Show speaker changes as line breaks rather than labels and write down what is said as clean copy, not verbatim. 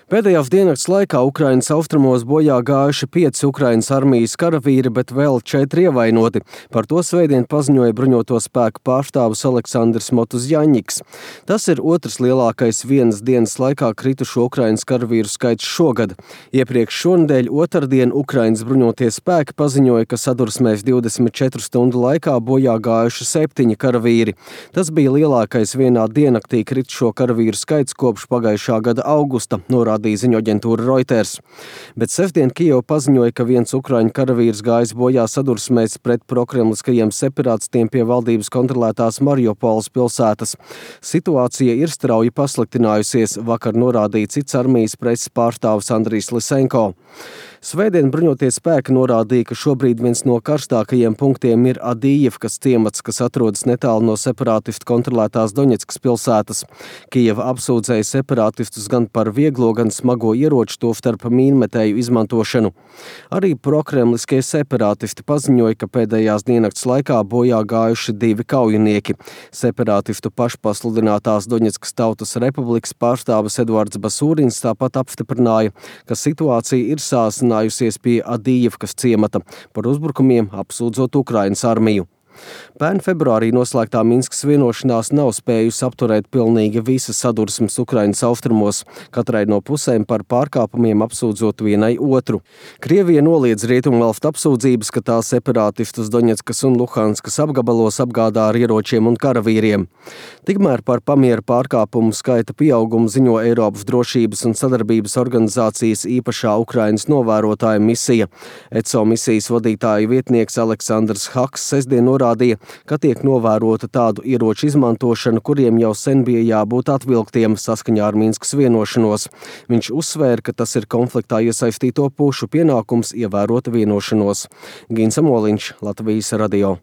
Pēdējās diennakts laikā Ukrainas austrumos bojā gājuši 5 Ukrainas armijas karavīri, bet vēl 4 ievainoti. Par to svētdien paziņoja bruņoto spēku pārstāvis Aleksandrs Motuzjaņiks. Tas ir otrs lielākais vienas dienas laikā kritušo Ukrainas karavīru skaits šogad. Iepriekš šonedēļ otrdien Ukrainas bruņotie spēki paziņoja, ka sadursmēs 24 stundu laikā bojā gājuši 7 karavīri. Tas bija lielākais vienā diennaktī kritušo karavīru skaits kopš pagājušā gada augusta, norādīja ziņu aģentūra Reuters. Bet sestdien Kijeva paziņoja, ka viens ukraiņu karavīrs gājis bojā sadursmēs pret prokremliskajiem separātistiem pie valdības kontrolētās Mariupoles pilsētas. Situācija ir strauji pasliktinājusies, vakar norādīja cits armijas preses pārstāvis Andrijs Lisenko. Svētdien bruņotie spēki norādīja, ka šobrīd viens no karstākajiem punktiem ir Adijevkas ciemats, kas atrodas netālu no separātistu kontrolētās Doņetskas pilsētas. Kijeva apsūdzēja separātistus gan par vieglo, gan smago ieroču, tostarp mīnmetēju izmantošanu. Arī prokremliskie separātisti paziņoja, ka pēdējās diennakts laikā bojā gājuši 2 kaujinieki. Separātistu pašpasludinātās Doņetskas Tautas Republikas pārstāvis Eduards Basūrins tāpat apstiprināja, ka situācija ir sāsinājusies pie Adijevkas ciemata, par uzbrukumiem apsūdzot Ukrainas armiju. Pērn februārī noslēgtā Minskas vienošanās nav spējusi apturēt pilnīgi visas sadursmes Ukrainas austrumos, katrai no pusēm par pārkāpumiem apsūdzot vienai otru. Krievija noliedz rietumvalstu apsūdzības, ka tā separātistus Doņetskas un Luhanskas apgabalos apgādā ar ieročiem un karavīriem. Tikmēr par pamieru pārkāpumu skaita pieaugumu ziņo Eiropas drošības un sadarbības organizācijas īpašā Ukrainas novērotāja misija. ECO misijas vadītāja vietnieks Aleksandrs Haks sestdien norādīja, ka tiek novērota tādu ieroču izmantošana, kuriem jau sen bija jābūt atvilktiem saskaņā ar Minskas vienošanos. Viņš uzsvēra, ka tas ir konfliktā iesaistīto pušu pienākums ievērot vienošanos. Gins Amoliņš, Latvijas radio.